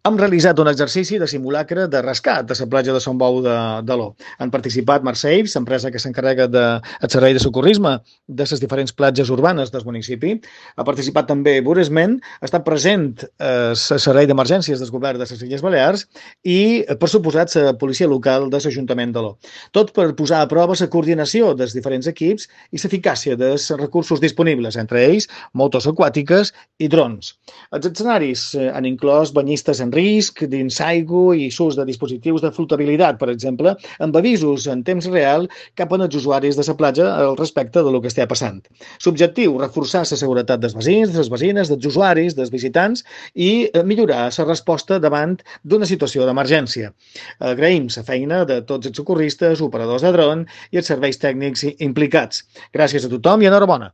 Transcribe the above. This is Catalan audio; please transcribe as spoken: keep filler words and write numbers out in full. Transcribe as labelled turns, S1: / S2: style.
S1: Hem realitzat un exercici de simulacre de rescat de la platja de Sant Bou de, de l'O. Han participat Marsaves, l'empresa que s'encarrega del servei de socorrisme de les diferents platges urbanes del municipi. Ha participat també Buresmen, ha estat present el servei d'emergències del govern de les Illes Balears i, per suposat, la policia local de l'Ajuntament de l'O. Tot per posar a prova la coordinació dels diferents equips i l'eficàcia dels recursos disponibles, entre ells motos aquàtiques i drons. Els escenaris han inclòs banyistes en risc, dins aigua i l'ús de dispositius de flotabilitat, per exemple, amb avisos en temps real cap als usuaris de la platja al respecte de lo que està passant. L'objectiu, reforçar la seguretat dels veïns, de les veïnes, dels usuaris, dels visitants i millorar la resposta davant d'una situació d'emergència. Agraïm la feina de tots els socorristes, operadors de dron i els serveis tècnics implicats. Gràcies a tothom i enhorabona.